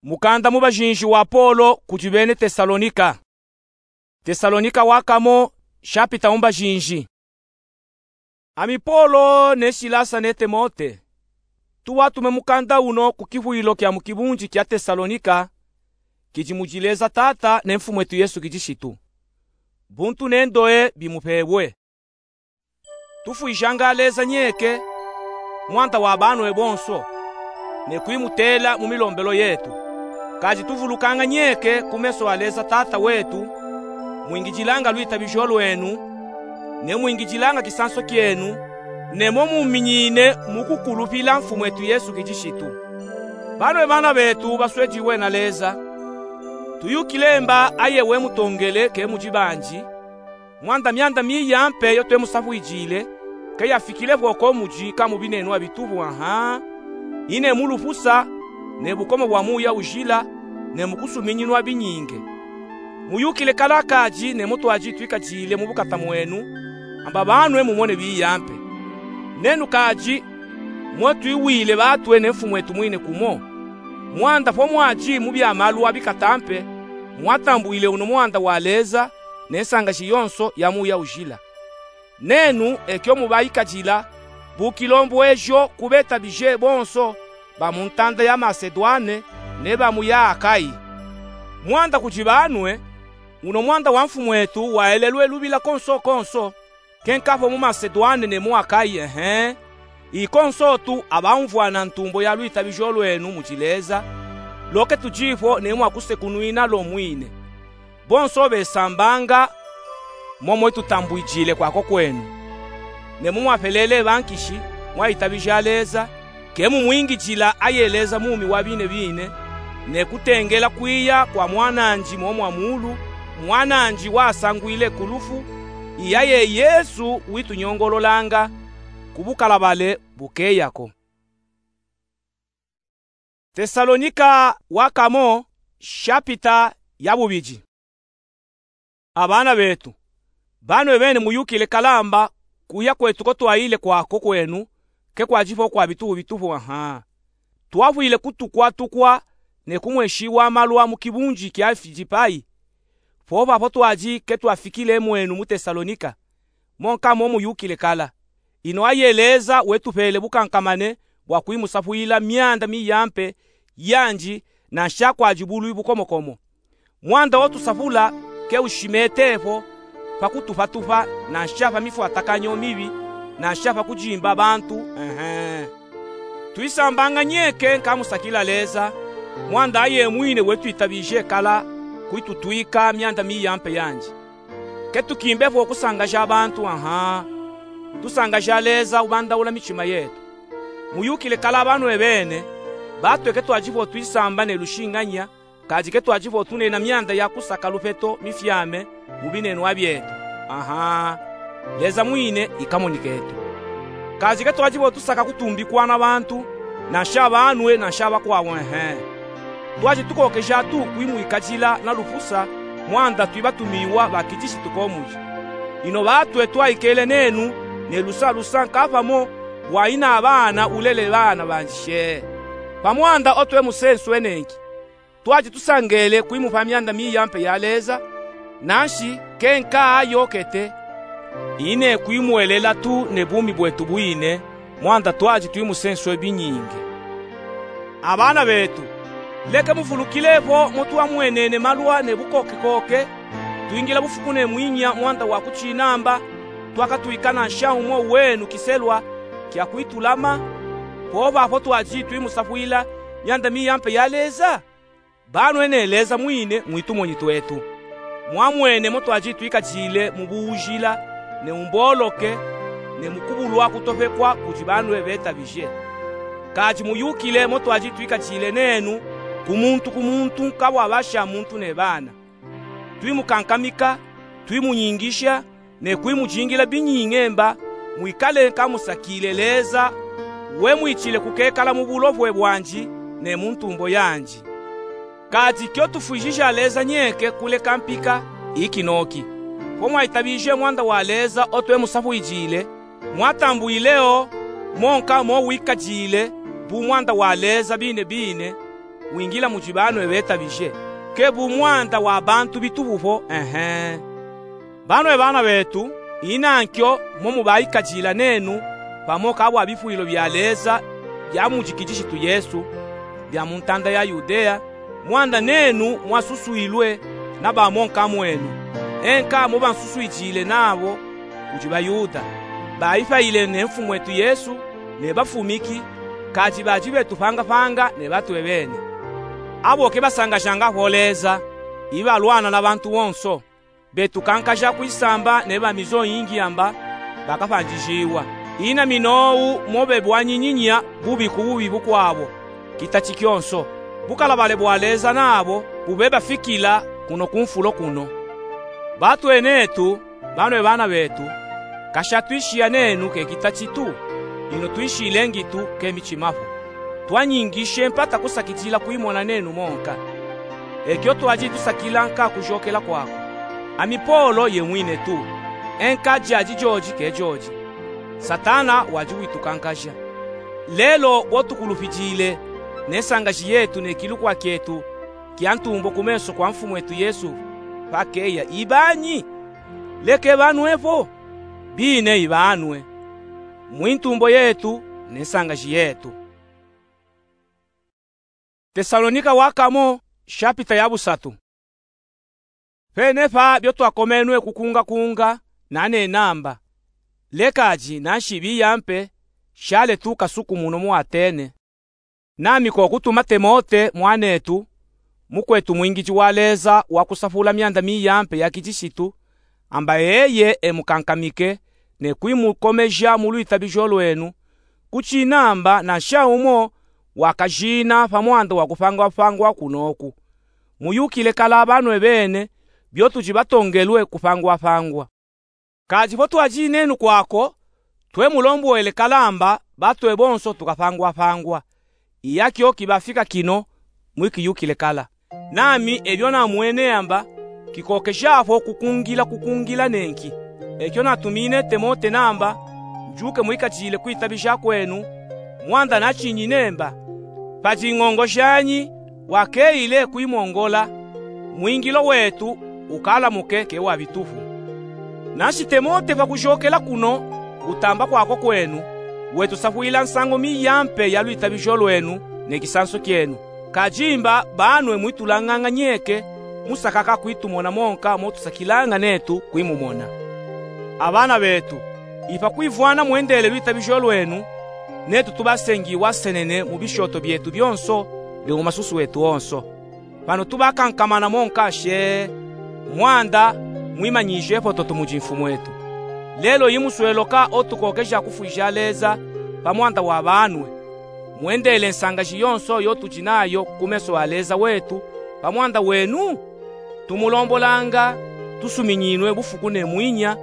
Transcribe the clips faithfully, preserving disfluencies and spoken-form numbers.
Mukanda mu bajinji wa Polo kudi bena Tesalonika. Tesalonika wa kamo, shapita mu bajinji. Ami Polo ne Silasa ne Timote, tuwatume mukanda uno ku kivwilo kia mu kibunji kia Tesalonika, kidi mudi Leza Tata ne Mfumwetu Yesu Kilisitu. Buntu ne ndoye bimupebwe. Tufwijanga Leza nyeke, Mwanda wa banwe bonso, ne kwimutela mu milombelu yetu. Kadi tuvulukanga nyeke ku meso a Leza Tata wetu, mwingidilanga lwitabijo lwenu, ne mwingidilanga kisanso kienu, ne mo muminyine mu kukulupila Mfumwetu Yesu Kilisitu. Banwe bana betu baswediwe na Leza, tuyukile mba aye wemutongele ke mudi banji, Mwanda mianda miyampe yo twemusafwijile, ke yafikile vo ko mudi ka mu binenwa bitubu, aha, ine mu lufusa, ne bukomo bwa Muya Ujila, ne mu kusuminyinwa binyinge. Muyukile kala kadi ne mo twadi twikadile mu bukata mwenu, amba banwe mumone biyampe. Nenu kadi, mo twiwile batwe ne Mfumwetu mwine kumo. Mwanda fo mwadi mu bia malu a bikata mpe, mwatambwile uno Mwanda wa Leza, ne nsangaji yonso ya Muya Ujila. Nenu ekio mubaikadila, bu kilombwejo ku betabije bonso ba mu ntanda ya Masedwane ne ba mu ya Akayi. Mwanda kudi banwe, uno Mwanda wa Mfumwetu waelelwe lubila konso konso, ke nka fo mu Masedwane ne mu Akayi, ehe, ikonso tu abaumvwana ntumbo ya lwitabijo lwenu mudi Leza, lo ke tudi fo ne mwa kusekunwina lo mwine. Bonso besambanga, momo itutambwidile kwa ko kwenu. Ne mo mwapelele bankishi, mwaitabija Leza, ke mumwingidila aye Leza mumi wa bine bine, ne kutengela kwiya kwa Mwananji mo mwa mulu, Mwananji wasangwile ku lufu, i aye Yesu witunyongololanga ku bukalabale bukeya ko. Tesalonika wa kamo, shapita ya bubidi. Abana betu, banwe bene muyukile kala amba kuya kwetu ko twayile kwa ko kwenu, ke kwadi fo kwa bitubu bitubu, aha. Twafwile kutukwa tukwa ne kumweshiwa malu a mu kibunji kia Filipayi, fo fafo twadi ke twafikile mwenu mu Tesalonika, mo nka mo muyukile kala. Ino aye Leza wetupele bukankamane bwa kwimusafwila mianda miyampe yandi, nansha kwadi bulwi bukomokomo. Mwanda wo tusafula ke ushimete fo pa kutupatupa, nansha pa mifwatakanyo mibi, nansha pa kudimba bantu, ehe. Twisambanga nyeke nka musakila Leza, Mwanda aye mwine wetwitabije kala kwitutwika mianda miyampe yandi. Ke tukimbe fo kusangaja bantu, aha. Tusangaja Leza ubandaula mitima yetu. Muyukile kala banwe bene, batwe ke twadi fo twisamba ne lushinganya, kadi ke twadi fo tunena mianda ya kusaka lupeto mifyame mu binenwa byetu. Aha. Leza mwine ikamoniketu. Kadi ke twadi fo tusaka kutumbikwa na bantu, nansha banwe, nansha bakwawu, ehe. Twadi tukokeja tu kwimwikadila na lufusa, Mwanda twibatumiwa ba Kilisitu ko mudi. Ino batwe twaikele nenu ne lusa lusa nka pamo bwa ina bana ulele bana bandi she. Pa Mwanda o twemusenswe nenki, twadi tusangele kwimupa mianda miyampe ya Leza, nanshi ke nka yokete, ine kwimwelela tu ne bumi bwetu bwine, Mwanda twadi twimusenswe binyinge. Abana betu, leke muvulukile fo mo twamwenene malwa ne bukokekoke, twingila bufuku ne mwinya Mwanda wa ku Cinamba, twakatwika nansha umo wenu kiselwa kia kwitulama, fo fafo twadi twimusafwila mianda miyampe ya Leza? Banwe ne Leza mwine mwitumoni twetu. Mwamwene mo twadi twikadile mu buujila, ne mu mboloke, ne mu kubulwa kutopekwa kudi banwe betabije. Kadi muyukile mo twadi twikadile nenu, ku muntu ku muntu nka bwa basha muntu ne bana. Twimukankamika, twimunyingisha, ne kwimudingila binyinge mba mwikale nka musakile Leza, wemwitile kukekala mu bulovwe bwandi ne mu ntumbo yandi. Kadi kio tufwijija Leza nyeke kuleka mpika, iki noki. Fo mwaitabije Mwanda wa Leza o twemusafwijile, mwatambwile o, mo nka mo wikadile, bu Mwanda wa Leza bine bine, wingila mudi banwe betabije, ke bu mwanda wa bantu bitubu fo, ehe. Banwe bana betu, inankyo mo mubaikadila nenu pamo ka bwa bifwilo bya Leza bya mudi Kilishitu Yesu, bya mu ntanda ya Yudea, mwanda nenu mwasuswilwe na bamonka mwenu, enka mo bansuswidile nabo kudi Bayuda, baifayile ne Mfumwetu Yesu ne bafumiki, kadi badi betu fangafanga ne batwe bene. Abo ke basangajanga fo Leza, ibalwana na bantu bonso. Betu kankaja kwisamba ne bamizo yingi yamba bakafandijiwa. Ina minowu mo bebwanyinyinya bubi ku bubi bukwabo, kitati kyonso. Bukalabale bwa Leza nabo bube bafikila kuno ku mfulo kuno. Batwenetu, banwe bana betu, kasha twishiya nenu ke kitati tu, ino twishilengi tu ke michima fo. Twanyingishe mpata kusakidila kwimona nenu monka. Ekyo twadi tusakila nka kujokela kwaku. Ami Polo ye mwine tu. Enka dyadi dyodi ke dyodi. Satana wadi witukankaja. Lelo bwo tukulufidile ne nsangaji yetu ne kilukwa kyetu kya ntumbo ku meso kwa Mfumwetu Yesu, pakeya ibanyi? Leke banwe fo? Bine ibanwe. Mwi ntumbo yetu ne nsangaji yetu. Tesalonika wa kamo, shapita ya busatu. Fene fa byo twakomenwe kukungakunga, nane namba. Lekadi nanshi biyampe, shale tuka suku muno mu Atene. Nami ko kutuma Temote mwanetu, mukwetu mwingidi wa Leza wa kusafula myanda miyampe ya Kilishitu, amba eye emukankamike, ne kwimukomeja mu lwitabijo lwenu, kuchinamba nansha umo wakajina pa mwanda wa kufangwafangwa kunoku. Muyukile kala banwe bene, byo tudi batongelwe kufangwafangwa. Kadi fo twajinenu kwako, twemulombwele kala amba batwe bonso tukafangwafangwa. Iyakyo kibafika kino, mwikiyukile kala. Nami ebyo namwene amba, kikokeja fo kukungila kukungila nenki. Ekyo natumine Temote namba, njuke mwikadile kwitabija kwenu, mwanda nachinyine mba, padi ngongo janyi wakeyile kwimongola, mwingilo wetu ukalamuke ke wa bitufu. Nanshi Temote pa kujokela kuno kutamba kwako kwenu, wetusafwila nsangu miyampe ya lwitabijo lwenu ne kisanso kyenu. Kadi mba banwe mwitulanganga nyeke, musakaka kwitumona monka mo tusakilanga netu kwimumona. Abana betu, ipa kwivwana mwendele lwitabijo lwenu, netu tubasengiwa senene mu bishoto byetu byonso ne mu masusu etu onso. Pano tubakankamana monka she, mwanda mwimanyije fototo mudi Mfumwetu. Lelo imusweloka otukokeja kufwija Leza pa mwanda wa banwe. Mwendele nsangaji yonso yo tudi nayo ku meso a Leza wetu pa mwanda wenu? Tumulombolanga, tusuminyinwe bufuku ne mwinya,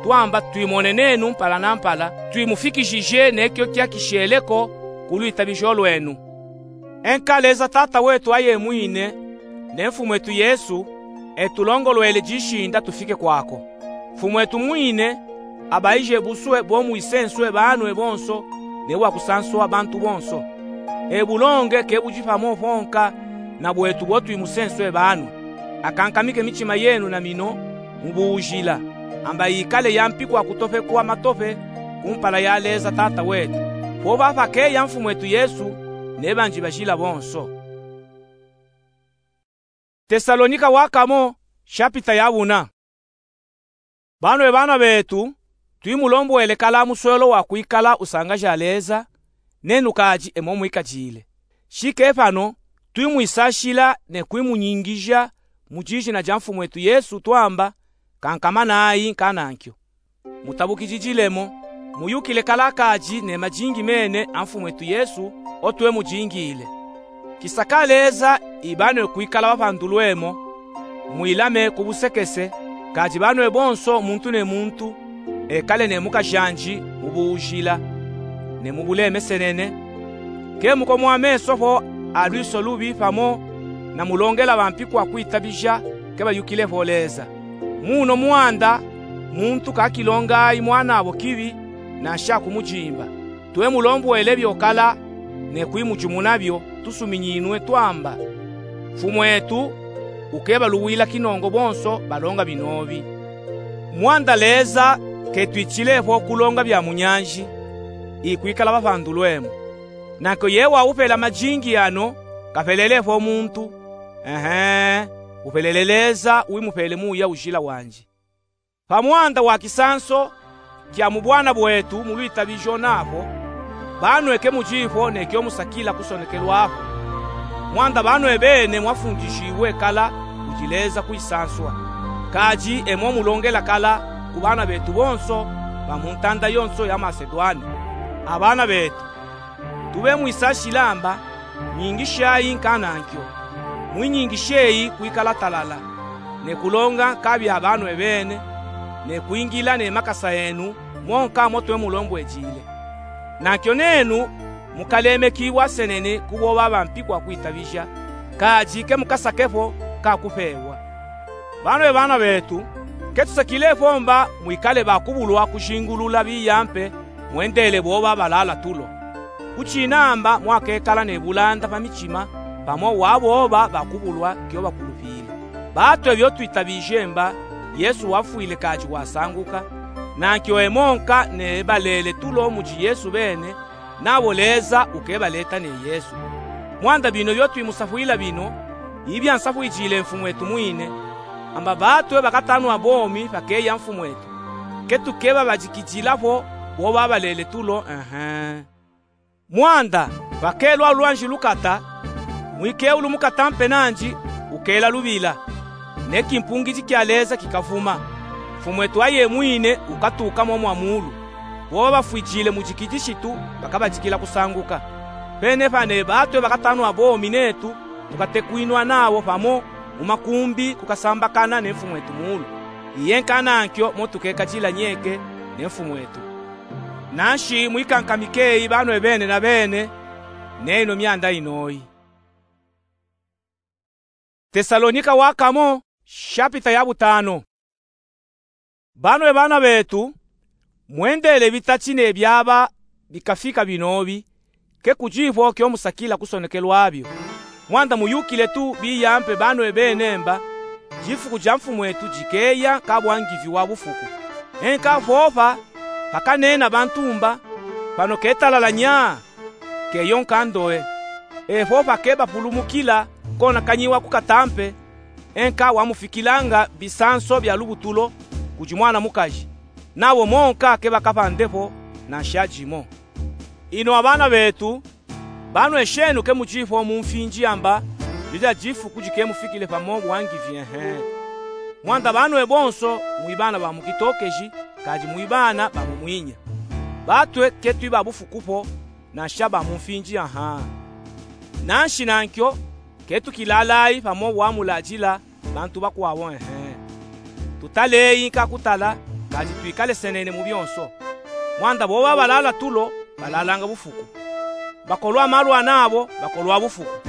twamba twimonenenu mpala na mpala, twimufikijije nekyo kyakisheleko ku lwitabijo lwenu. Enka Leza Tata wetu ayemwine, ne Mfumwetu Yesu, etulongolwele dishinda tufike kwako. Mfumwetu mwine, abaije buswe bo mwisenswe banwe bonso, ne wa kusanswa bantu bonso. Ebulonge ke budi pamo ponka na bwetu bo twimusenswe banwe. Akankamike michima yenu na mino mu buujila, amba yikale ya mpiku a kutofekwa matofe ku mpala ya Leza Tata wetu, po bapakeya Mfumwetu Yesu ne bandi bajila bonso. Tesalonika wa kamo, shapita ya buna. Banwe bana betu, twimulombwele kala muswelo wa kwikala usangaja Leza, nenu kadi emo mwikadile. Shike pano, twimwisashila ne kwimunyingija mu dijina dia Mfumwetu Yesu twamba, kankamanayi nkanankyo. Mutabukididilemo, muyukile kala kadi ne madingi mene a Mfumwetu Yesu, otwe mudingile. Kisaka Leza ibanwe kwikala bapandulwemo, mwilame ku busekese, kadi banwe bonso muntu ne muntu ekale ne mukajandi mu buujila ne mu bulemesenene. Ke mukomwa meso fo a lwiso lubi pamo na mulongela bampiku a kwitabija ke bayukile fo Leza. Muno mwanda, muntu kakilongayi mwanabo kibi, nansha kumujimba. Twe mulombwele byokala, ne kuyimujumuna byo tusuminyinwe twamba. Mfumwetu ukebaluwila kinongo bonso balonga binobi. Mwanda Leza ketwitshile fo kulonga bya munyanji, ikwikala papandulwemo. Nankyo yeye wawupela majingi ano kapelele fo muntu. Ehe, upelele Leza wimupele Muya Ujila wanji. Pa mwanda wa kisanso kya mu bwana bwetu mu lwitabijo napo, banwe kemujifo ne kyomusakila kusonekelwapo. Mwanda banwe bene mwafundishiwe kala kudi Leza kuyisanswa. Kadi emo mulongela kala ku bana betu bonso ba mu ntanda yonso ya Masedwane. A bana betu, tube mwisashilamba, nyingishayi nkanankyo. Mwinyingisheyi kwikala talala, ne kulonga nkabya banwe bene, ne kwingila ne makasa enu monka motwe mulombwejile. Nankyo nenu mukalemekiwa senene ku boba bampikwa kwitabija, kadi kemukasakepo nkakupewa. Banwe bana betu, ketusakile fo mba mwikale bakubulwa kujingulula biyampe mwendele boba balala tulo. Kuchinamba mwakekala ne bulanda pa michima pamo wa boba bakubulwa kyo bakulupile. Batwe byo twitabije mba Yesu wafwile kadi wasanguka, nankyo emo nka ne balele tulo mudi Yesu bene, nabo Leza ukebaleta ne Yesu. Mwanda bino byo twimusafwila bino, ibyansafwijile Mfumwetu mwine, amba batwe bakatanwa bomi pakeya Mfumwetu. Ketukebabadikidila fo boba balele tulo, ehe. Mwanda pakelwa lwanji lukata, mwikewulu mukata mpe nandi ukela lubila, ne kimpungidi kya Leza kikavuma. Mfumwetu aye mwine ukatuka mo mwa mulu. Boba bafwijile mudi kidishitu bakabadikila kusanguka. Pene pa ne batwe bakatanwa bomi netu tukatekwinwa nabo pamo mu makumbi kukasambakana ne Mfumwetu mulu. Iye nkanankyo motukekadila nyeke ne Mfumwetu. Nanshi mwikankamikeyi banwe bene na bene, ne ino myanda inoyi. Tesalonika wa kamo, shapita ya butano. Banwe bana betu, mwendele bitati ne byaba bikafika binobi, kekujifo kyomusakila kusonekelwa byo. Mwanda muyukile tu biyampe banwe bene mba, difuku dya Mfumwetu dikeya nka bwangivi wa bufuku. Enka fopa pakanena bantu mba, pano ketalala nya, keyo nka ndowe. Efo pakebapulumukila konakanyiwa kukata mpe, enka wamufikilanga bisanso bya lubutulo kudi mwana mukaji, nabo monka kebakapande po nansha dimo. Ino a bana betu, banwe shenu kemujifo mu mfinji amba, didya difuku dikemufikile pamo bwangivi, ehe. Mwanda banwe bonso mwi bana ba mu kitokeji, kadi mwi bana ba mu mwinya. Batwe ketwi ba bufuku po, nansha ba mu mfinji, aha. Nanshi nankyo, ketukilalayi pamo bwamuladila bantu bakwawu, ehe. Tutaleyi nka kutala, kadi twikale senene mu byonso. Mwanda boba balala tulo balalanga bufuku. Bakolwa malwa nabo bakolwa bufuku.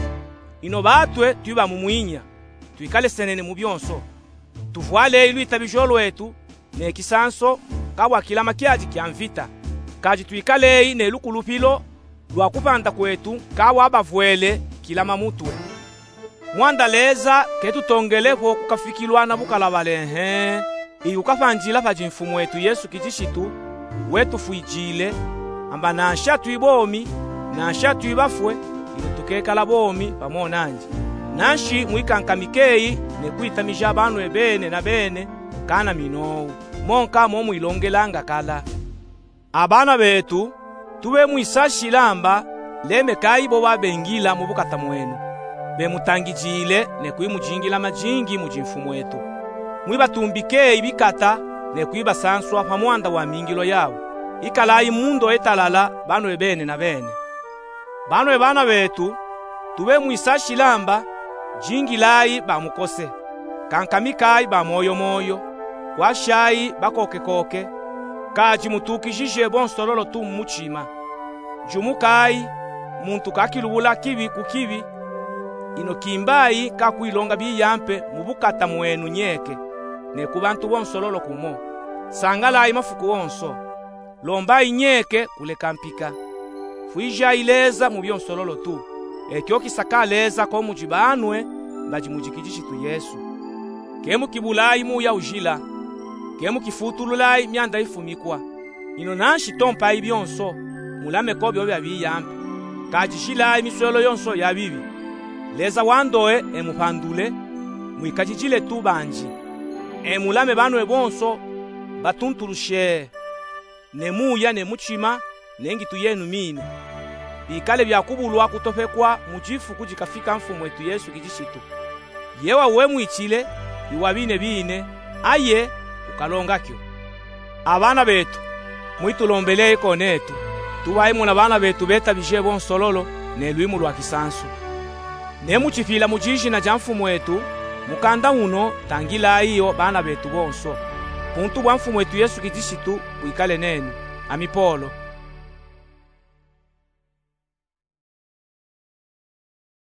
Ino batwe twi ba mu mwinya, twikale senene mu byonso. Tuvwaleyi lwitabijo lwetu ne kisanso nka bwa kilama kyadi kya mvita, kadi twikaleyi ne lukulupilo lwa kupanda kwetu nka bwa bavwele kilama mutwe. Mwanda Leza ketutongele po kukafikilwa na bukalabale, ehe, iwu kapandila padi Mfumwetu Yesu Kidishitu, we tufwijile, amba nansha twi bomi, nansha twi bafwe, ino tukekala bomi pamo nandi. Nanshi mwikankamikeyi ne kwitamija banwe bene na bene, kana minowu, monka momwilongelanga kala. A bana betu, tube mwisashila amba, lemekayi boba bengila mu bukata mwenu, bemutangidile ne kwimujingila majingi mudi Mfumwetu. Mwibatumbikeyi bikata ne kwibasanswa pa mwanda wa mingilo yawu. Ikalayi mu ndowe talala banwe bene na bene. Banwe bana betu, tube mwisashila amba, jingilayi ba mukose, kankamikayi ba moyo moyo, kwashayi bakokekoke, kadi mutukijije bonsololo tu mu muchima. Jumukayi, muntu kakilubula kibi ku kibi, ino kimbayi nka kwilonga biyampe mu bukata mwenu nyeke, ne ku bantu bonsololo kumo. Sangalayi mafuku wonso. Lombayi nyeke kuleka mpika. fwijayi Leza mu byonsololo tu. Ekyo kisaka Leza ko mudi banwe badi mudi Kilishitu Yesu. Ke mukibulayi muya ujila. Ke mukifutululayi myanda ifumikwa. Ino nanshi tompayi byonso, mulame ko byo bya biyambi. Kadijilayi miswelo yonso ya bibi. Leza wa ndowe emupandule, mwikadijile tu banji. Emulame banwe bonso batuntulushee, ne muya ne mutima, ne ngitu yenu mine. Bikale bya kubulwa kutopekwa mu difu kudi kafika Mfumwetu Yesu Kilishitu. Ye wawemwikile, iwa bine bine, aye ukalonga kyo. Abana betu, mwitulombeleyi ko netu, tubayi muna bana betu betabije bonsololo ne lwimu lwa kisansu. Ne mucipila mu dijina dya Mfumwetu, mukanda uno tangilayi yo bana betu bonso. Buntu bwa Mfumwetu Yesu Kilishitu bwikale nenu. Ami Polo.